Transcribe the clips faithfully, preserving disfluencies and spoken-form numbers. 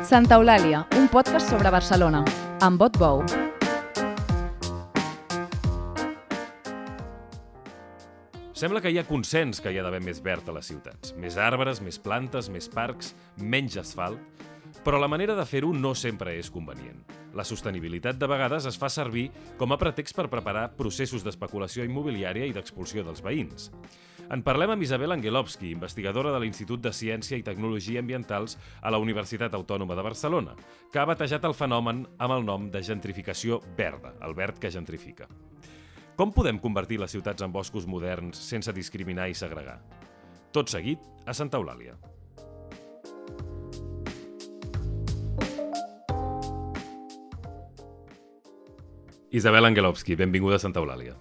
Santa Eulàlia, un podcast sobre Barcelona, amb Bot Bou. Sembla que hi ha consens que hi ha d'haver més verd a les ciutats. Més arbres, més plantes, més parcs, menys asfalt. Però la manera de fer-ho no sempre és convenient. La sostenibilitat de vegades es fa servir com a pretext per preparar processos d'especulació immobiliària i d'expulsió dels veïns. En parlem amb Isabel Angelovsky, investigadora de l'Institut de Ciència i Tecnologia Ambientals a la Universitat Autònoma de Barcelona, que ha batejat el fenomen amb el nom de gentrificació verda, el verd que gentrifica. Com podem convertir les ciutats en boscos moderns sense discriminar i segregar? Tot seguit, a Santa Eulàlia. Isabel Angelovsky, benvinguda a Santa Eulàlia.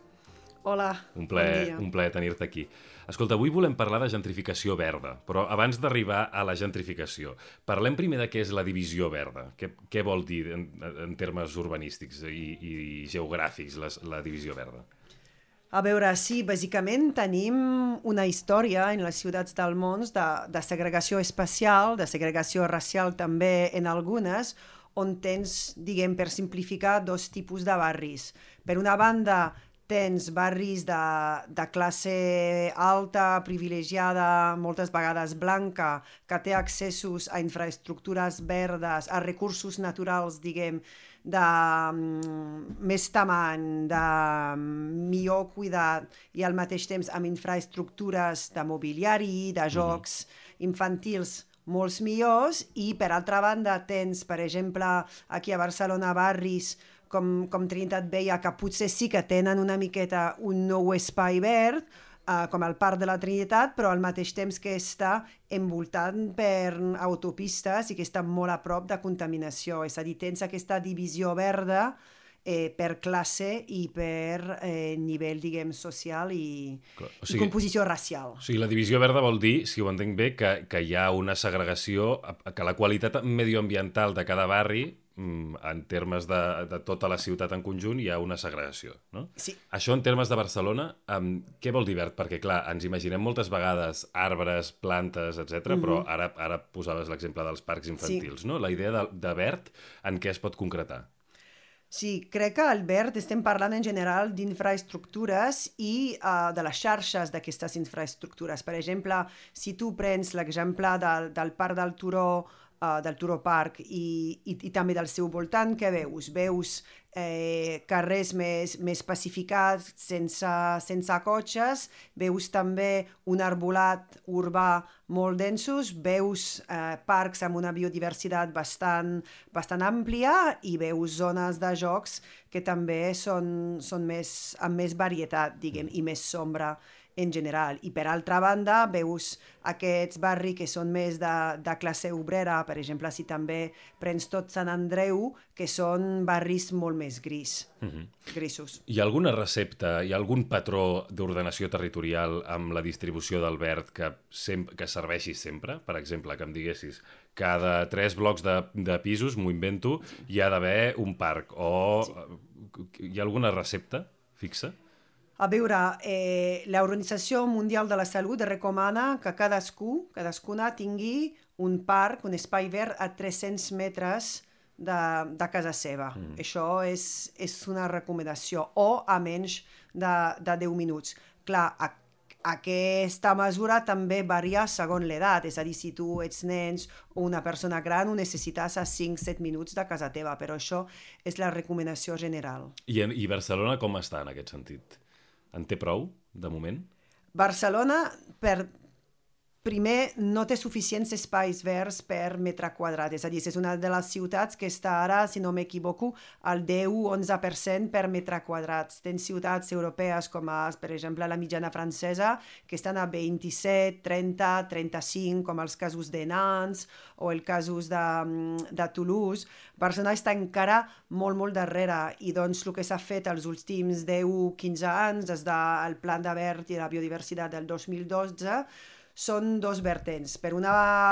Hola, un plaer, bon dia. Un plaer tenir-te aquí. Escolta, avui volem parlar de gentrificació verda, però abans d'arribar a la gentrificació, parlem primer de què és la divisió verda. Què, què vol dir en, en termes urbanístics i, i geogràfics les, la divisió verda? A veure, sí, bàsicament tenim una història en les ciutats del món de, de segregació espacial, de segregació racial també en algunes, on tens, diguem, per simplificar, dos tipus de barris. Per una banda, tens barris de, de classe alta, privilegiada, moltes vegades blanca, que té accessos a infraestructures verdes, a recursos naturals, diguem, de um, més tamany, de millor cuidat i al mateix temps amb infraestructures de mobiliari, de jocs mm-hmm. infantils molts millors, i per altra banda tens, per exemple, aquí a Barcelona barris com, com Trinitat Vella, que potser sí que tenen una miqueta un nou espai verd, uh, com el Parc de la Trinitat, però al mateix temps que està envoltat per autopistes i que està molt a prop de contaminació. És a dir, tens aquesta divisió verda eh, per classe i per eh, nivell, diguem, social i, Clar, o sigui, i composició racial. O sigui, la divisió verda vol dir, si ho entenc bé, que, que hi ha una segregació, que la qualitat medioambiental de cada barri, en termes de, de tota la ciutat en conjunt, hi ha una segregació, no? Sí. Això en termes de Barcelona, um, què vol dir verd? Perquè, clar, ens imaginem moltes vegades arbres, plantes, etcètera, mm-hmm. però ara, ara posaves l'exemple dels parcs infantils, sí. no? La idea de, de verd, en què es pot concretar? Sí, crec que al verd estem parlant en general d'infraestructures i uh, de les xarxes d'aquestes infraestructures. Per exemple, si tu prens l'exemple del, del Parc del Turó, Uh, del Turó Park i, i, i també del seu voltant, què veus? Veus eh, carrers més, més pacificats, sense, sense cotxes, veus també un arbolat urbà molt densos, veus eh, parcs amb una biodiversitat bastant, bastant àmplia i veus zones de jocs que també són, són més, amb més varietat, diguem, i més sombra en general. I per altra banda, veus aquests barris que són més de, de classe obrera, per exemple, si també prens tot Sant Andreu, que són barris molt més gris, mm-hmm. grisos. Hi ha alguna recepta, hi ha algun patró d'ordenació territorial amb la distribució del verd que, sem- que serveixi sempre? Per exemple, que em diguessis, cada tres blocs de, de pisos, m'ho invento, hi ha d'haver un parc, o sí. Hi ha alguna recepta fixa? A veure, eh, l'Organització Mundial de la Salut recomana que cadascú, cadascuna tingui un parc, un espai verd a tres-cents metres de, de casa seva. Mm. Això és, és una recomanació, o a menys de, de deu minuts. Clar, a, aquesta mesura també varia segons l'edat, és a dir, si tu ets nens o una persona gran ho necessites a cinc-set minuts de casa teva, però això és la recomanació general. I, en, i Barcelona com està en aquest sentit? En té prou, de moment? Barcelona, per primer, no té suficients espais verds per metre quadrat. És a dir, és una de les ciutats que està ara, si no m'equivoco, al deu-onze per cent per metre quadrat. Tens ciutats europees com, a, per exemple, la mitjana francesa, que estan a vint-i-set, trenta, trenta-cinc, com els casos de Nantes o els casos de, de Toulouse. Barcelona està encara molt, molt darrere, i doncs el que s'ha fet els últims deu quinze anys, des del Pla de Verd i la Biodiversitat del dos mil dotze, són dos vertents. Per una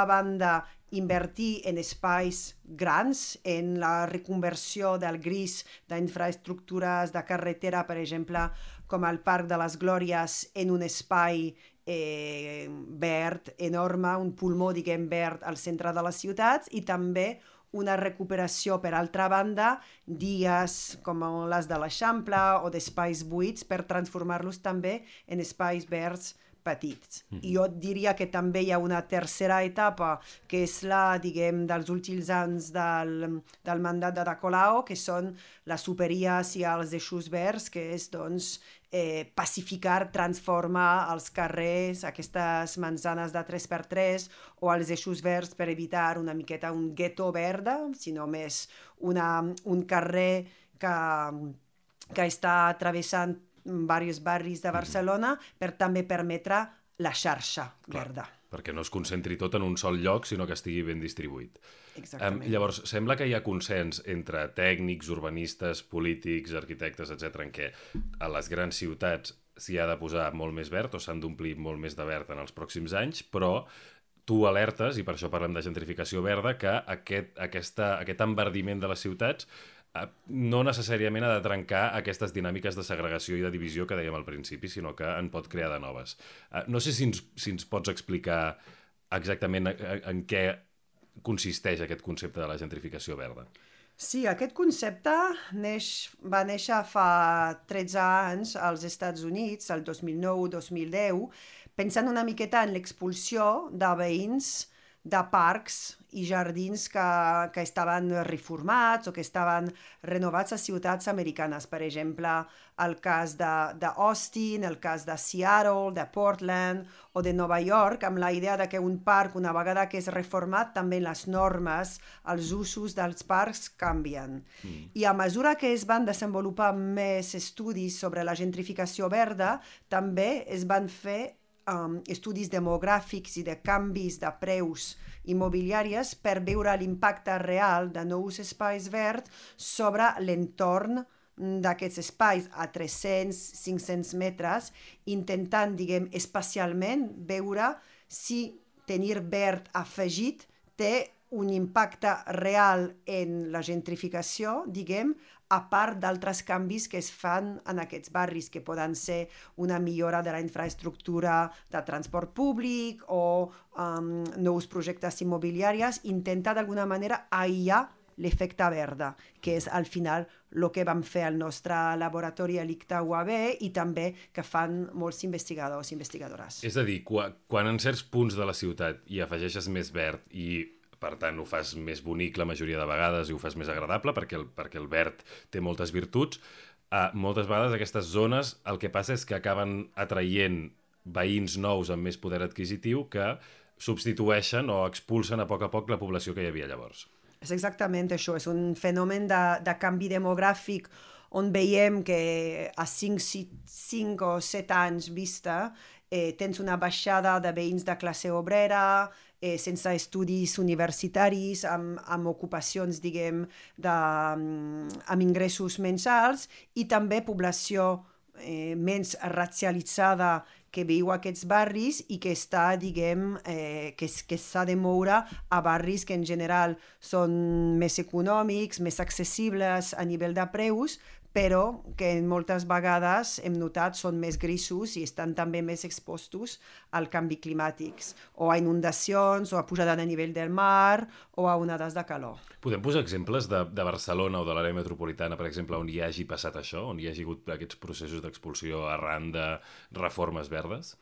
banda, invertir en espais grans, en la reconversió del gris d'infraestructures de carretera, per exemple, com el Parc de les Glòries, en un espai eh, verd enorme, un pulmó, diguem, verd al centre de les ciutats, i també una recuperació, per altra banda, dies com les de l'Eixample o d'espais buits per transformar-los també en espais verds petits. Mm. I jo diria que també hi ha una tercera etapa, que és la, diguem, dels últims anys del, del mandat de Da Colau, que són les superías i els eixos verds, que és, doncs, eh, pacificar, transformar els carrers, aquestes manzanes de tres per tres, o els eixos verds per evitar una miqueta un gueto verda, sinó més una, un carrer que, que està travessant diversos barris de Barcelona per també permetre la xarxa verda. Perquè no es concentri tot en un sol lloc, sinó que estigui ben distribuït. Exactament. Um, llavors, sembla que hi ha consens entre tècnics, urbanistes, polítics, arquitectes, etcètera, en què a les grans ciutats s'hi ha de posar molt més verd o s'han d'omplir molt més de verd en els pròxims anys, però tu alertes, i per això parlem de gentrificació verda, que aquest, aquesta, aquest enverdiment de les ciutats no necessàriament ha de trencar aquestes dinàmiques de segregació i de divisió que dèiem al principi, sinó que en pot crear de noves. No sé si ens, si ens pots explicar exactament en què consisteix aquest concepte de la gentrificació verda. Sí, aquest concepte neix, va néixer fa tretze anys als Estats Units, el dos mil nou dos mil deu, pensant una miqueta en l'expulsió de veïns de parcs i jardins que, que estaven reformats o que estaven renovats a ciutats americanes. Per exemple, el cas d'Austin, el cas de Seattle, de Portland o de Nova York, amb la idea de que un parc, una vegada que és reformat, també les normes, els usos dels parcs canvien. Mm. I a mesura que es van desenvolupar més estudis sobre la gentrificació verda, també es van fer Um, estudis demogràfics i de canvis de preus immobiliaris per veure l'impacte real de nous espais verds sobre l'entorn d'aquests espais a tres-cents a cinc-cents metres, intentant, diguem, especialment veure si tenir verd afegit té un impacte real en la gentrificació, diguem, a part d'altres canvis que es fan en aquests barris, que poden ser una millora de la infraestructura de transport públic o um, nous projectes immobiliaris, intenta d'alguna manera aïllar l'efecte verda, que és al final el que vam fer al nostre laboratori a l'I C T A U A B i també que fan molts investigadors i investigadores. És a dir, quan, quan en certs punts de la ciutat hi afegeixes més verd i per tant ho fas més bonic la majoria de vegades i ho fas més agradable perquè el, perquè el verd té moltes virtuts, eh, moltes vegades aquestes zones el que passa és que acaben atraient veïns nous amb més poder adquisitiu que substitueixen o expulsen a poc a poc la població que hi havia llavors. És exactament això, és un fenomen de, de canvi demogràfic on veiem que a cinc o set anys vista eh, tens una baixada de veïns de classe obrera, eh, sense estudis universitaris, amb, amb ocupacions, diguem, de, amb ingressos mensals i també població eh, menys racialitzada que viu a aquests barris i que està, diguem, eh, que, que s'ha de moure a barris que en general són més econòmics, més accessibles a nivell de preus, però que moltes vegades hem notat són més grisos i estan també més expostos al canvi climàtic, o a inundacions, o a pujada de nivell del mar, o a onades de calor. Podem posar exemples de, de Barcelona o de l'àrea metropolitana, per exemple, on hi hagi passat això, on hi hagi hagut aquests processos d'expulsió arran de reformes verdes?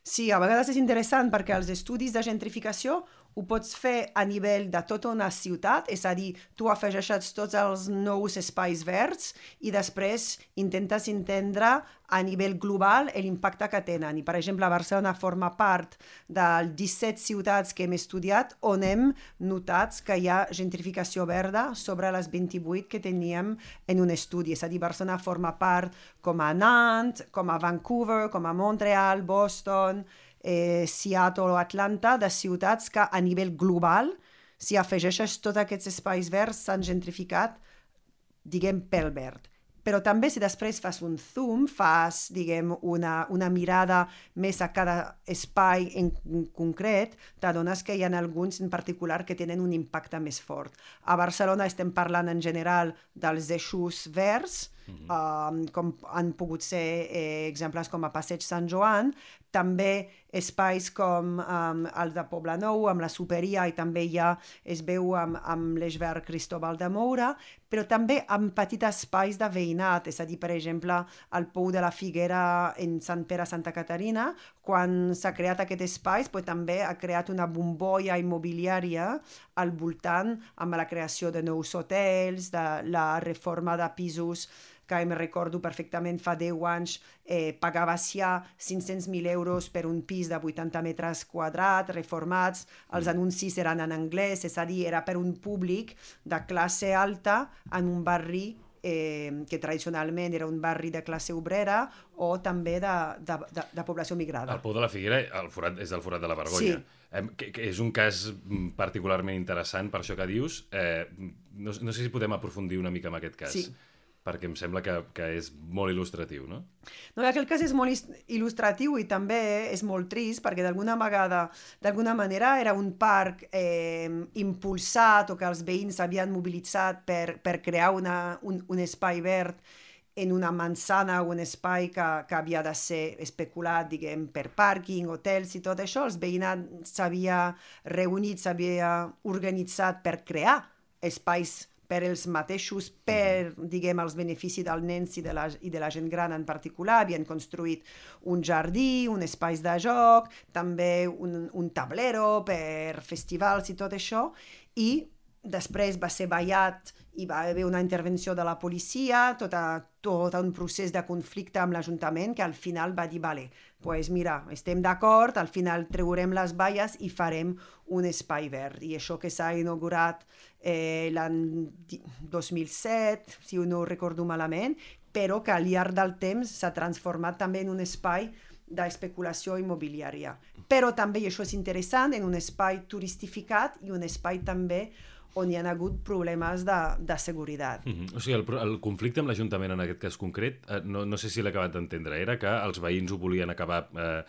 Sí, a vegades és interessant perquè els estudis de gentrificació ho pots fer a nivell de tota una ciutat, és a dir, tu afegeixes tots els nous espais verds i després intentes entendre a nivell global l'impacte que tenen. I, per exemple, Barcelona forma part de disset ciutats que hem estudiat on hem notat que hi ha gentrificació verda sobre les vint-i-vuit que teníem en un estudi. És a dir, Barcelona forma part com a Nantes, com a Vancouver, com a Montreal, Boston, Eh, Seattle o Atlanta, de ciutats que a nivell global, si afegeixes tots aquests espais verds, s'han gentrificat, diguem, pel verd. Però també si després fas un zoom, fas, diguem, una, una mirada més a cada espai en concret, t'adones que hi ha alguns en particular que tenen un impacte més fort. A Barcelona estem parlant en general dels eixos verds, mm-hmm. uh, com han pogut ser eh, exemples com a Passeig Sant Joan, també espais com um, el de Poblenou, amb la Superia, i també ja es veu amb, amb l'Esbert Cristóbal de Moura, però també amb petits espais de veïnat, és a dir, per exemple, al Pou de la Figuera en Sant Pere Santa Caterina, quan s'ha creat aquest espai, però també ha creat una bombolla immobiliària al voltant amb la creació de nous hotels, de la reforma de pisos, que em recordo perfectament fa deu anys, eh, pagava ja cinc-cents mil euros per un pis de vuitanta metres quadrats, reformats, els anuncis eren en anglès, és a dir, era per un públic de classe alta en un barri eh, que tradicionalment era un barri de classe obrera o també de, de, de, de població migrada. El Pou de la Figuera el forat, és el forat de la Vergonya. Sí. Eh, que, que és un cas particularment interessant per això que dius. Eh, no, no sé si podem aprofundir una mica en aquest cas. Sí. Perquè em sembla que, que és molt il·lustratiu, no? No, aquell cas és molt il·lustratiu i també és molt trist perquè d'alguna vegada, d'alguna manera era un parc eh, impulsat o que els veïns havien mobilitzat per, per crear una, un, un espai verd en una manzana o un espai que, que havia de ser especulat, diguem, per pàrquing, hotels i tot això. Els veïnats s'havia reunit, s'havia organitzat per crear espais per els mateixos, per, diguem, els beneficis dels nens i de, la, i de la gent gran en particular. Havien construït un jardí, un espai de joc, també un, un tablero per festivals i tot això, i després va ser ballat i va haver una intervenció de la policia, tot, a, tot un procés de conflicte amb l'Ajuntament que al final va dir, vale, pues mira, estem d'acord, al final treurem les valles i farem un espai verd. I això que s'ha inaugurat eh, l'any dos mil set, si no ho recordo malament, però que al llarg del temps s'ha transformat també en un espai d'especulació immobiliària. Però també, i això és interessant, en un espai turistificat i un espai també on hi ha hagut problemes de, de seguretat. Mm-hmm. O sigui, el, el conflicte amb l'Ajuntament en aquest cas concret, eh, no, no sé si l'he acabat d'entendre, era que els veïns ho volien acabar eh,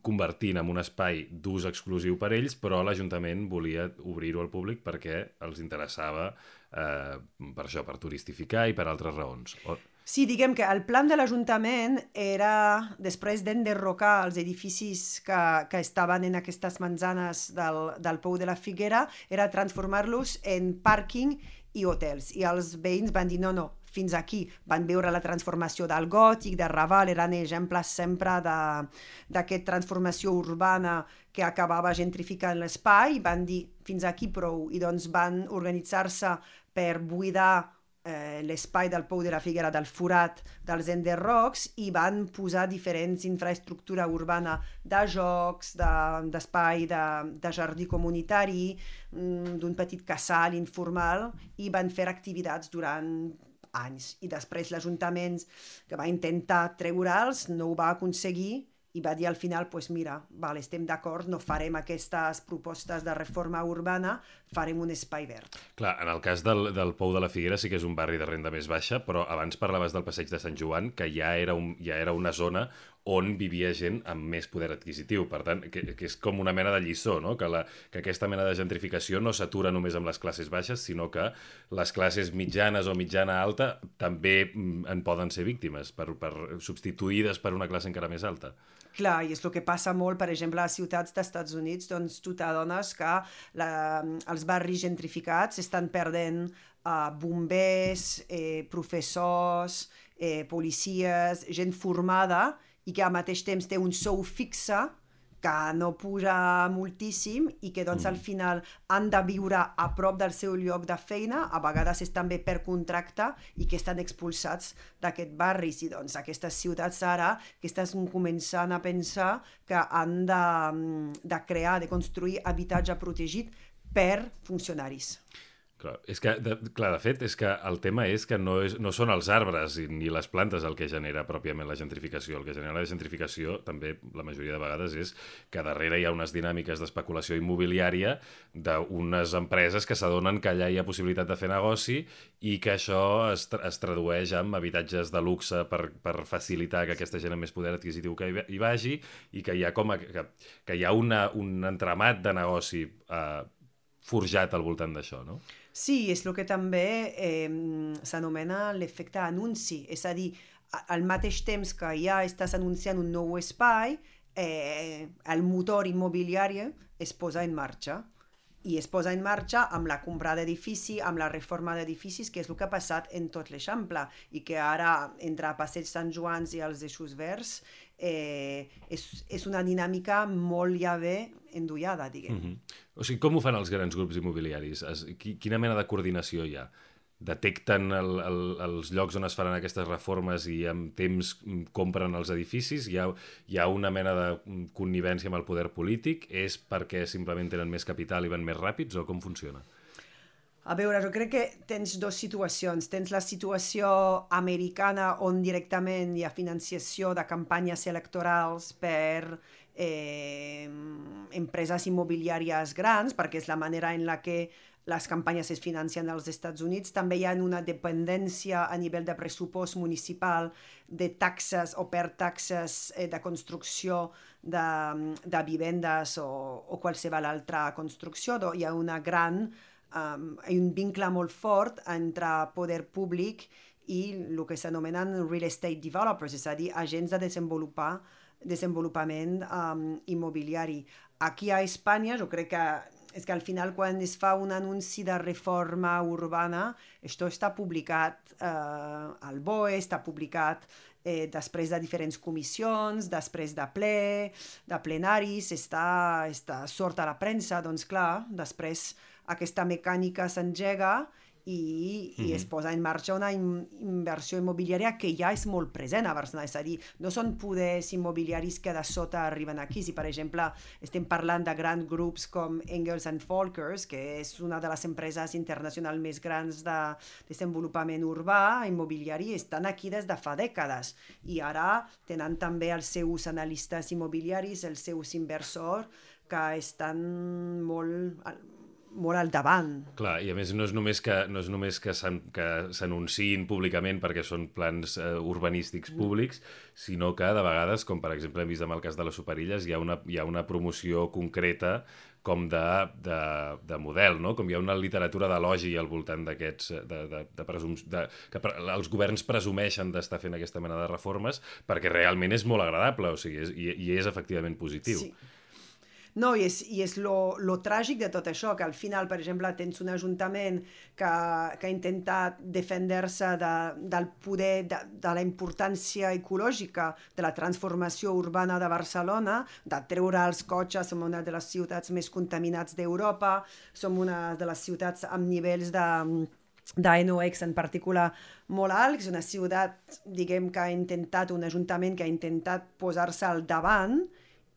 convertint en un espai d'ús exclusiu per ells, però l'Ajuntament volia obrir-ho al públic perquè els interessava eh, per això, per turistificar i per altres raons. O... Sí, diguem que el plan de l'Ajuntament era, després d'enderrocar els edificis que, que estaven en aquestes manzanes del, del Pou de la Figuera, era transformar-los en pàrquing i hotels. I els veïns van dir, no, no, fins aquí. Van veure la transformació del Gòtic, de Raval, eren exemples sempre d'aquesta transformació urbana que acabava gentrificant l'espai, i van dir, fins aquí prou. I doncs van organitzar-se per buidar Eh, l'espai del Pou de la Figuera, del forat dels enderrocs, i van posar diferents infraestructura urbana de jocs, d'espai, de, de, de jardí comunitari, d'un petit casal informal, i van fer activitats durant anys. I després l'Ajuntament, que va intentar treure'ls, no ho va aconseguir, i va dir al final, pues mira, vale, estem d'acord, no farem aquestes propostes de reforma urbana, farem un espai verd. Clar, en el cas del, del Pou de la Figuera sí que és un barri de renda més baixa, però abans parlaves del Passeig de Sant Joan, que ja era, un, ja era una zona on vivia gent amb més poder adquisitiu. Per tant, que, que és com una mena de lliçó, no? Que, la, que aquesta mena de gentrificació no s'atura només amb les classes baixes, sinó que les classes mitjanes o mitjana alta també en poden ser víctimes, per, per, substituïdes per una classe encara més alta. Clar, i és el que passa molt, per exemple, a les ciutats dels Estats Units, doncs tu t'adones que la, els barris gentrificats estan perdent uh, bombers, eh, professors, eh, policies, gent formada, i que al mateix temps té un sou fixe que no puja moltíssim i que doncs, al final han de viure a prop del seu lloc de feina, a vegades és també per contracte, i que estan expulsats d'aquest barri. I doncs aquestes ciutats ara que estan començant a pensar que han de, de crear, de construir habitatge protegit per funcionaris. Clar, és que, de, clar, de fet, és que el tema és que no, és, no són els arbres ni les plantes el que genera pròpiament la gentrificació. El que genera la gentrificació, també, la majoria de vegades, és que darrere hi ha unes dinàmiques d'especulació immobiliària d'unes empreses que s'adonen que allà hi ha possibilitat de fer negoci i que això es, tra es tradueix en habitatges de luxe per, per facilitar que aquesta gent amb més poder adquisitiu que hi, hi vagi, i que hi ha, com a, que, que hi ha una, un entramat de negoci eh, forjat al voltant d'això, no? Sí, és el que també eh, s'anomena l'efecte anunci, és a dir, al mateix temps que ja estàs anunciant un nou espai, eh, el motor immobiliari es posa en marxa. I es posa en marxa amb la compra d'edifici, amb la reforma d'edificis, que és el que ha passat en tot l'Eixample, i que ara, entre Passeig Sant Joans i els Eixos Verds, eh, és, és una dinàmica molt ja bé endollada, diguem. Mm-hmm. O sigui, com ho fan els grans grups immobiliaris? Es, quina mena de coordinació hi ha? Detecten el, el, els llocs on es faran aquestes reformes i amb temps compren els edificis? Hi ha, hi ha una mena de connivència amb el poder polític? És perquè simplement tenen més capital i van més ràpids o com funciona? A veure, jo crec que tens dues situacions. Tens la situació americana on directament hi ha financiació de campanyes electorals per eh, empreses immobiliàries grans, perquè és la manera en la que les campanyes es financen als Estats Units. També hi ha una dependència a nivell de pressupost municipal de taxes o per taxes eh, de construcció de, de vivendes o, o qualsevol altra construcció. Hi ha una gran, um, hi ha un vincle molt fort entre poder públic i el que s'anomenen real estate developers, és a dir, agents de desenvolupar, desenvolupament um, immobiliari. Aquí a Espanya, jo crec que és que al final quan es fa un anunci de reforma urbana, això està publicat eh, al B O E, està publicat eh, després de diferents comissions, després de ple, de plenaris, està, està sort a la premsa, doncs clar, després aquesta mecànica s'engega i, mm-hmm. i es posa en marxa una in, inversió immobiliària que ja és molt present a Barcelona, és a dir, no són poders immobiliaris que de sota arriben aquí. Si, per exemple, estem parlant de grans grups com Engels and Volkers, que és una de les empreses internacionals més grans de desenvolupament urbà, immobiliari, estan aquí des de fa dècades i ara tenen també els seus analistes immobiliaris, els seus inversors, que estan molt... molt al davant. Clar, i a més no és només que, no és només que s'anunciïn públicament perquè són plans eh, urbanístics públics, sinó que de vegades, com per exemple hem vist amb el cas de les Superilles, hi ha una, hi ha una promoció concreta com de, de, de model, no? Com hi ha una literatura d'elogi al voltant d'aquests, de, de, de presums, de, que pre, els governs presumeixen d'estar fent aquesta mena de reformes perquè realment és molt agradable, o sigui, és, i, i és efectivament positiu. Sí. No, i és, i és lo, lo tràgic de tot això, que al final, per exemple, tens un ajuntament que, que ha intentat defendre-se de, del poder, de, de la importància ecològica de la transformació urbana de Barcelona, de treure els cotxes, som una de les ciutats més contaminats d'Europa, som una de les ciutats amb nivells de... de N O X en particular molt alt, és una ciutat, diguem, que ha intentat, un ajuntament que ha intentat posar-se al davant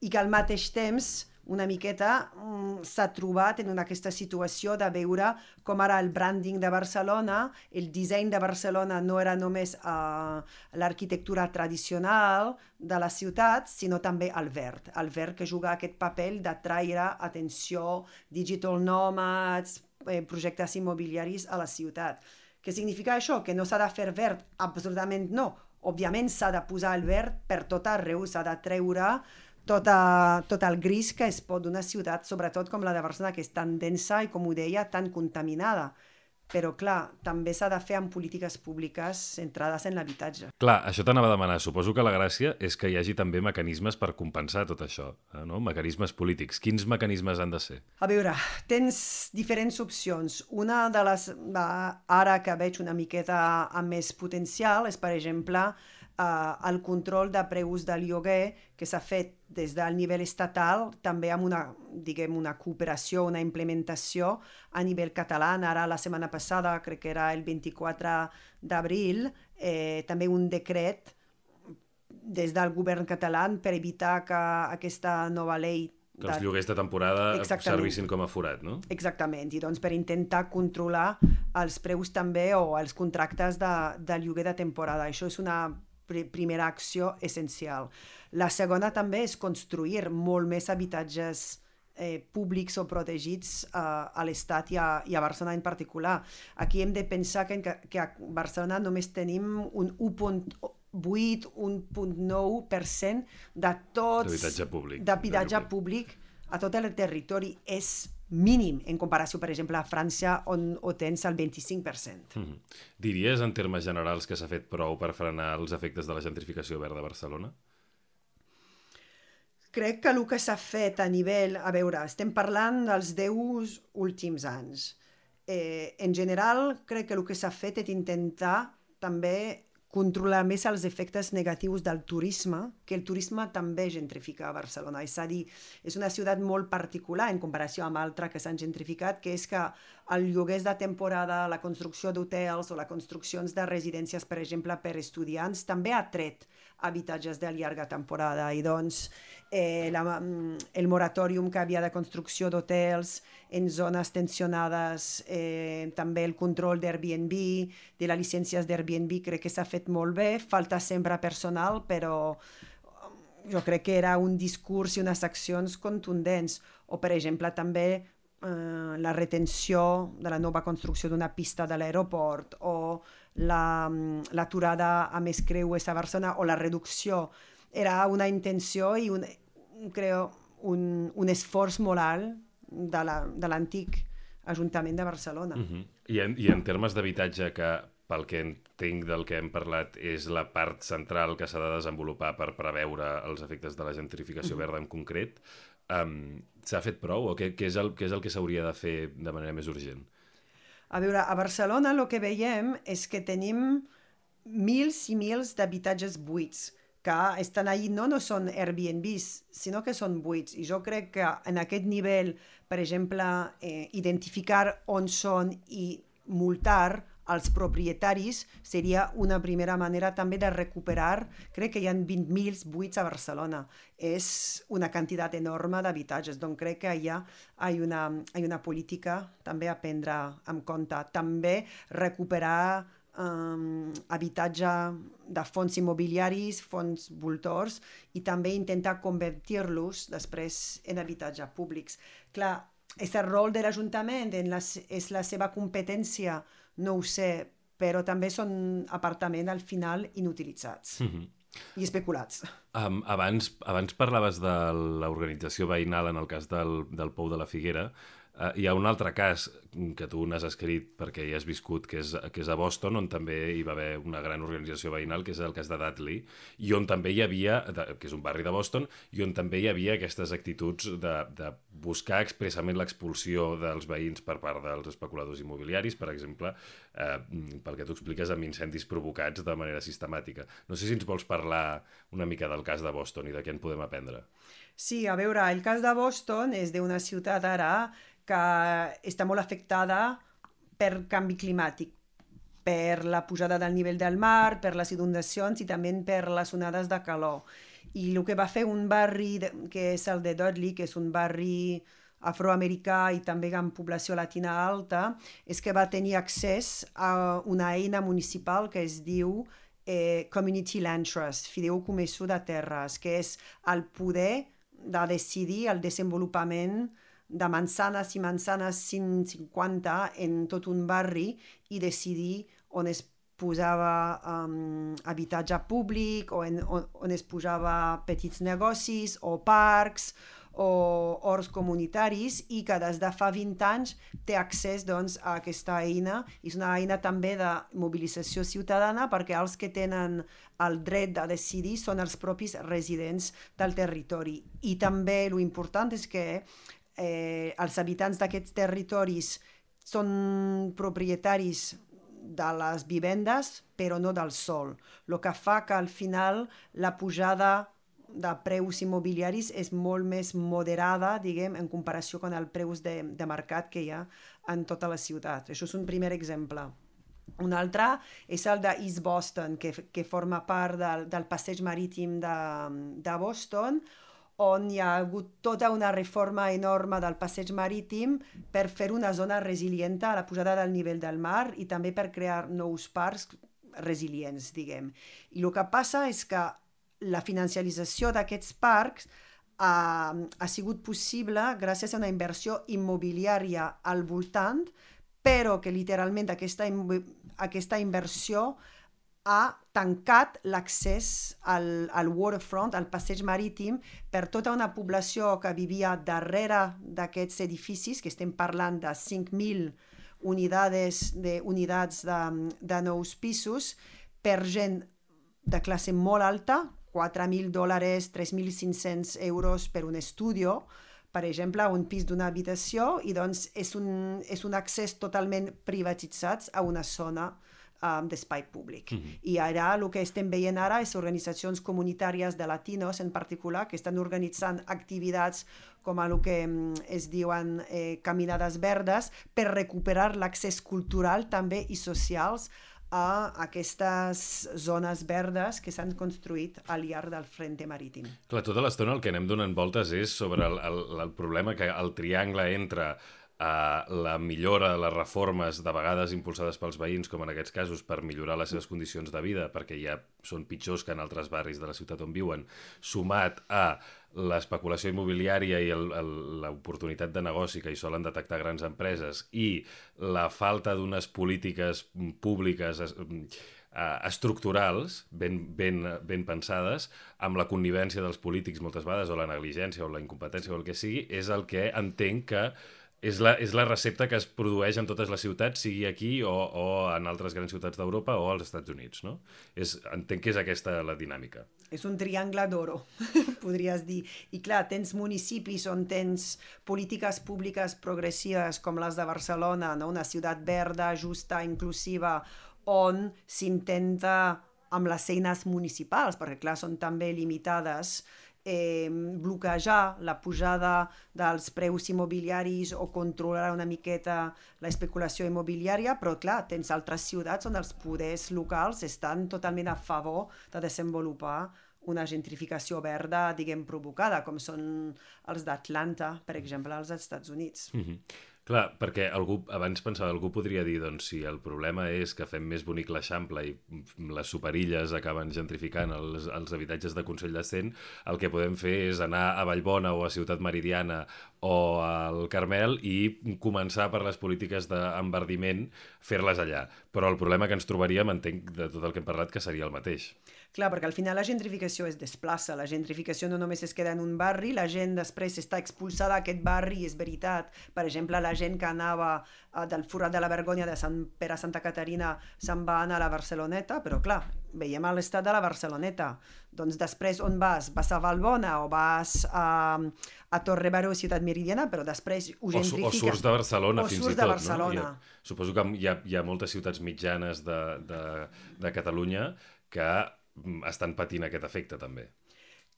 i que al mateix temps una miqueta mm, s'ha trobat en aquesta situació de veure com ara el branding de Barcelona, el disseny de Barcelona no era només uh, l'arquitectura tradicional de la ciutat, sinó també el verd. El verd que juga aquest paper d'atraure atenció, digital nomads, eh, projectes immobiliaris a la ciutat. Què significa això? Que no s'ha de fer verd? Absolutament no. Òbviament s'ha de posar el verd per tot arreu, s'ha de treure tot, a, tot el gris que es pot d'una ciutat, sobretot com la de Barcelona, que és tan densa i, com ho deia, tan contaminada. Però, clar, també s'ha de fer amb polítiques públiques centrades en l'habitatge. Clar, això t'anava a demanar. Suposo que la gràcia és que hi hagi també mecanismes per compensar tot això, no? Mecanismes polítics. Quins mecanismes han de ser? A veure, tens diferents opcions. Una de les, ara que veig una miqueta amb més potencial, és, per exemple, Uh, el control de preus del lloguer que s'ha fet des del nivell estatal, també amb una, diguem, una cooperació, una implementació a nivell català. Ara, la setmana passada, crec que era el vint-i-quatre d'abril, eh, també un decret des del govern català per evitar que aquesta nova llei que els lloguers de temporada servissin com a forat, no? Exactament, i doncs per intentar controlar els preus també o els contractes de, de lloguer de temporada. Això és una primera acció essencial. La segona també és construir molt més habitatges eh, públics o protegits eh, a l'Estat i a, i a Barcelona en particular. Aquí hem de pensar que, que a Barcelona només tenim un u coma vuit a un coma nou per cent de tots... D'habitatge públic. D'habitatge públic a tot el territori. És mínim en comparació, per exemple, a França, on ho tens al vint-i-cinc per cent. Mm-hmm. Diries, en termes generals, que s'ha fet prou per frenar els efectes de la gentrificació verda a Barcelona? Crec que el que s'ha fet a nivell... A veure, estem parlant dels deu últims anys. Eh, en general, crec que el que s'ha fet és intentar també controlar més els efectes negatius del turisme, que el turisme també gentrifica a Barcelona. És a dir, és una ciutat molt particular en comparació amb altres que s'han gentrificat, que és que el lloguers de temporada, la construcció d'hotels o les construccions de residències, per exemple, per estudiants, també ha tret habitatges de llarga temporada. I doncs eh, la, el moratorium que havia de construcció d'hotels en zones tensionades, eh, també el control d'Airbnb, de les llicències d'Airbnb, crec que s'ha fet molt bé. Falta sempre personal, però jo crec que era un discurs i unes accions contundents. O, per exemple, també eh, la retenció de la nova construcció d'una pista de l'aeroport, o la, l'aturada a més creuers a Barcelona, o la reducció. Era una intenció i un, creo, un, un esforç molt alt de, la, de l'antic Ajuntament de Barcelona. Uh-huh. I, en, I en termes d'habitatge, que pel que entenc del que hem parlat és la part central que s'ha de desenvolupar per preveure els efectes de la gentrificació verda en concret, um, s'ha fet prou o què, què, és el, què és el que s'hauria de fer de manera més urgent? A veure, a Barcelona el que veiem és que tenim mils i mils d'habitatges buits, que estan allí, no, no són Airbnbs, sinó que són buits. I jo crec que en aquest nivell, per exemple, eh, identificar on són i multar els propietaris seria una primera manera també de recuperar. Crec que hi ha vint mil buits a Barcelona. És una quantitat enorme d'habitatges, doncs crec que hi ha, hi ha, una, hi ha una política també a prendre en compte. També recuperar Um, habitatge de fons immobiliaris, fons voltors, i també intentar convertir-los després en habitatge públics. Clar, és el rol de l'Ajuntament, en la, és la seva competència, no ho sé, però també són apartaments al final inutilitzats mm-hmm. i especulats. Um, abans, abans parlaves de l'organització veïnal en el cas del, del Pou de la Figuera. Uh, hi ha un altre cas que tu n'has escrit perquè hi has viscut, que és, que és a Boston, on també hi va haver una gran organització veïnal, que és el cas de Dudley, i on també hi havia, que és un barri de Boston, i on també hi havia aquestes actituds de, de buscar expressament l'expulsió dels veïns per part dels especuladors immobiliaris, per exemple, eh, pel que tu expliques, amb incendis provocats de manera sistemàtica. No sé si ens vols parlar una mica del cas de Boston i de què en podem aprendre. Sí, a veure, el cas de Boston és d'una ciutat ara que està molt afectada per canvi climàtic, per la pujada del nivell del mar, per les inundacions i també per les onades de calor. I el que va fer un barri, de, que és el de Dudley, que és un barri afroamericà i també amb població latina alta, és que va tenir accés a una eina municipal que es diu eh, Community Land Trust, Fideicomisso de Terres, que és el poder de decidir el desenvolupament de manzanes i manzanes cent cinquanta en tot un barri i decidir on es posava um, habitatge públic o en, on, on es posava petits negocis o parcs o horts comunitaris i que des de fa vint anys té accés doncs, a aquesta eina. És una eina també de mobilització ciutadana perquè els que tenen el dret de decidir són els propis residents del territori. I també l'important és que Eh, els habitants d'aquests territoris són propietaris de les vivendes, però no del sòl. El que fa que al final la pujada de preus immobiliaris és molt més moderada, diguem, en comparació amb els preus de, de mercat que hi ha en tota la ciutat. Això és un primer exemple. Un altre és el de East Boston, que, que forma part del, del passeig marítim de, de Boston, on hi ha hagut tota una reforma enorme del passeig marítim per fer una zona resilienta a la pujada del nivell del mar i també per crear nous parcs resilients, diguem. I el que passa és que la financiarització d'aquests parcs ha, ha sigut possible gràcies a una inversió immobiliària al voltant, però que literalment aquesta, aquesta inversió ha tancat l'accés al, al waterfront, al passeig marítim, per tota una població que vivia darrere d'aquests edificis, que estem parlant de cinc mil unidades de, unidats de, de nous pisos, per gent de classe molt alta, quatre mil dòlars, tres mil cinc-cents euros per un estudio, per exemple, un pis d'una habitació, i doncs és un, és un accés totalment privatitzat a una zona um, d'espai públic. Mm-hmm. I ara el que estem veient ara és organitzacions comunitàries de latinos en particular que estan organitzant activitats com el que es diuen eh, caminades verdes per recuperar l'accés cultural també i socials a aquestes zones verdes que s'han construït al llarg del frente marítim. Clar, tota l'estona el que anem donant voltes és sobre el, el, el problema que el triangle entre uh, la millora, les reformes de vegades impulsades pels veïns, com en aquests casos, per millorar les seves condicions de vida, perquè ja són pitjors que en altres barris de la ciutat on viuen, sumat a l'especulació immobiliària i l'oportunitat de negoci que hi solen detectar grans empreses i la falta d'unes polítiques públiques estructurals ben, ben, ben pensades, amb la connivència dels polítics moltes vegades, o la negligència o la incompetència o el que sigui, és el que entenc que és la, és la recepta que es produeix en totes les ciutats, sigui aquí o, o en altres grans ciutats d'Europa o als Estats Units, no? És, entenc que és aquesta la dinàmica. És un triangle d'oro, podries dir. I clar, tens municipis on tens polítiques públiques progressives com les de Barcelona, no? Una ciutat verda, justa, inclusiva, on s'intenta amb les eines municipals, perquè clar, són també limitades, Eh, bloquejar la pujada dels preus immobiliaris o controlar una miqueta l'especulació immobiliària, però clar, tens altres ciutats on els poders locals estan totalment a favor de desenvolupar una gentrificació verda, diguem, provocada, com són els d'Atlanta, per exemple, als Estats Units. Mm-hmm. Clar, perquè algú, abans pensava, algú podria dir, doncs, si el problema és que fem més bonic l'Eixample i les superilles acaben gentrificant els, els habitatges de Consell de Cent, el que podem fer és anar a Vallbona o a Ciutat Meridiana o al Carmel i començar per les polítiques d'enverdiment, fer-les allà. Però el problema que ens trobaríem, entenc de tot el que hem parlat, que seria el mateix. Clar, perquè al final la gentrificació es desplaça, la gentrificació no només es queda en un barri, la gent després està expulsada d'aquest barri, és veritat. Per exemple, la gent que anava uh, del Forat de la Vergonya de Sant Pere a Santa Caterina se'n va anar a la Barceloneta, però clar, veiem l'estat de la Barceloneta. Doncs després on vas? Vas a Vallbona o vas a, a Torre Baró, Ciutat Meridiana, però després ho gentrifica. O, o surts de Barcelona, o fins i tot. de Barcelona. No? Ha, suposo que hi ha, hi ha moltes ciutats mitjanes de, de, de Catalunya que estan patint aquest efecte també.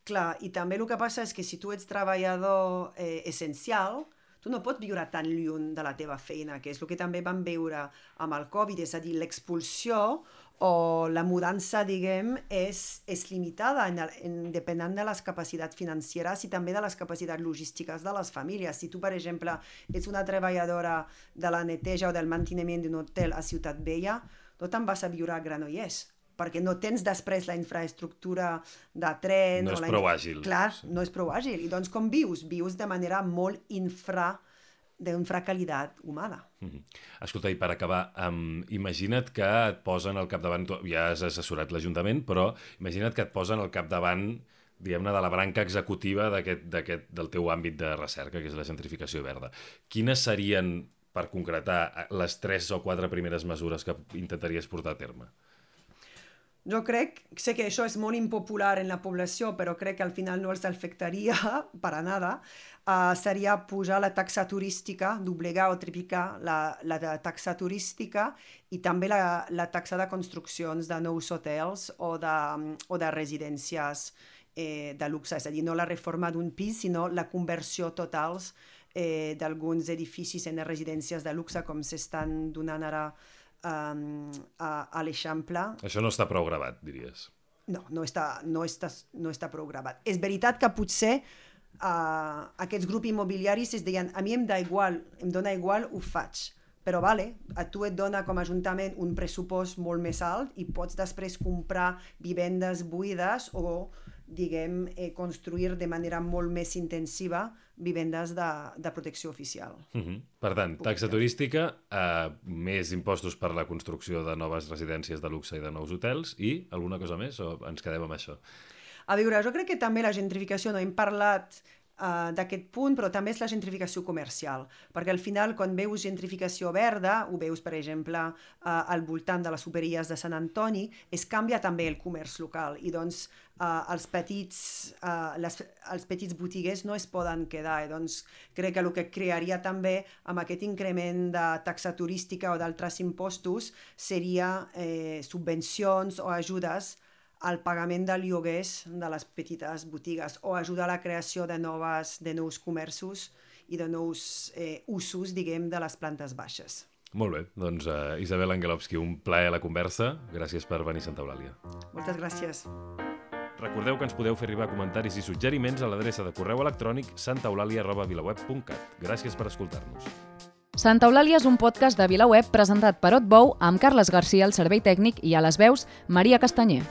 Clar, i també el que passa és que si tu ets treballador eh, essencial, tu no pots viure tan lluny de la teva feina, que és el que també vam veure amb el Covid, és a dir, l'expulsió o la mudança, diguem, és, és limitada en, en, depenent de les capacitats financeres i també de les capacitats logístiques de les famílies. Si tu, per exemple, ets una treballadora de la neteja o del manteniment d'un hotel a Ciutat Vella, no te'n vas a viure a Granollers, perquè no tens després la infraestructura de tren... No o és la... prou àgil. Clar, sí. No és prou àgil. I doncs com vius? Vius de manera molt infra, d'infracalitat humana. Mm-hmm. Escolta, i per acabar, um, imagina't que et posen al capdavant, tu ja has assessorat l'Ajuntament, però imagina't que et posen al capdavant, diguem-ne, de la branca executiva d'aquest, d'aquest, del teu àmbit de recerca, que és la gentrificació verda. Quines serien, per concretar, les tres o quatre primeres mesures que intentaries portar a terme? Jo crec, sé que això és molt impopular en la població, però crec que al final no els afectaria per a nada, uh, seria pujar la taxa turística, doblegar o triplicar la, la taxa turística i també la, la taxa de construccions de nous hotels o de, o de residències eh, de luxe, és a dir, no la reforma d'un pis, sinó la conversió totals eh, d'alguns edificis en residències de luxe, com s'estan donant ara Um, a, a l'Eixample. Això no està prou gravat, diries? No, no està, no està, no està prou gravat. És veritat que potser uh, aquests grups immobiliaris es deien a mi em da igual, em dona igual, ho faig. Però vale, a tu et dona com a Ajuntament un pressupost molt més alt i pots després comprar vivendes buides o diguem, eh, construir de manera molt més intensiva vivendes de, de protecció oficial. Uh-huh. Per tant, taxa turística, eh, més impostos per la construcció de noves residències de luxe i de nous hotels i alguna cosa més o ens quedem amb això? A veure, jo crec que també la gentrificació, no hem parlat uh, d'aquest punt, però també és la gentrificació comercial, perquè al final quan veus gentrificació verda, ho veus per exemple uh, al voltant de les superilles de Sant Antoni, es canvia també el comerç local i doncs uh, els, petits, uh, les, els petits botiguers no es poden quedar i doncs crec que el que crearia també amb aquest increment de taxa turística o d'altres impostos seria eh, subvencions o ajudes al pagament de lloguers de les petites botigues o ajudar a la creació de, noves, de nous comerços i de nous eh, usos, diguem, de les plantes baixes. Molt bé, doncs uh, Isabel Angelovsky, un plaer la conversa. Gràcies per venir a Santa Eulàlia. Moltes gràcies. Recordeu que ens podeu fer arribar comentaris i suggeriments a l'adreça de correu electrònic santaeulàlia arroba vilaweb punt cat. Gràcies per escoltar-nos. Santa Eulàlia és un podcast de VilaWeb presentat per Otbou amb Carles Garcia al servei tècnic i a les veus Maria Castanyer.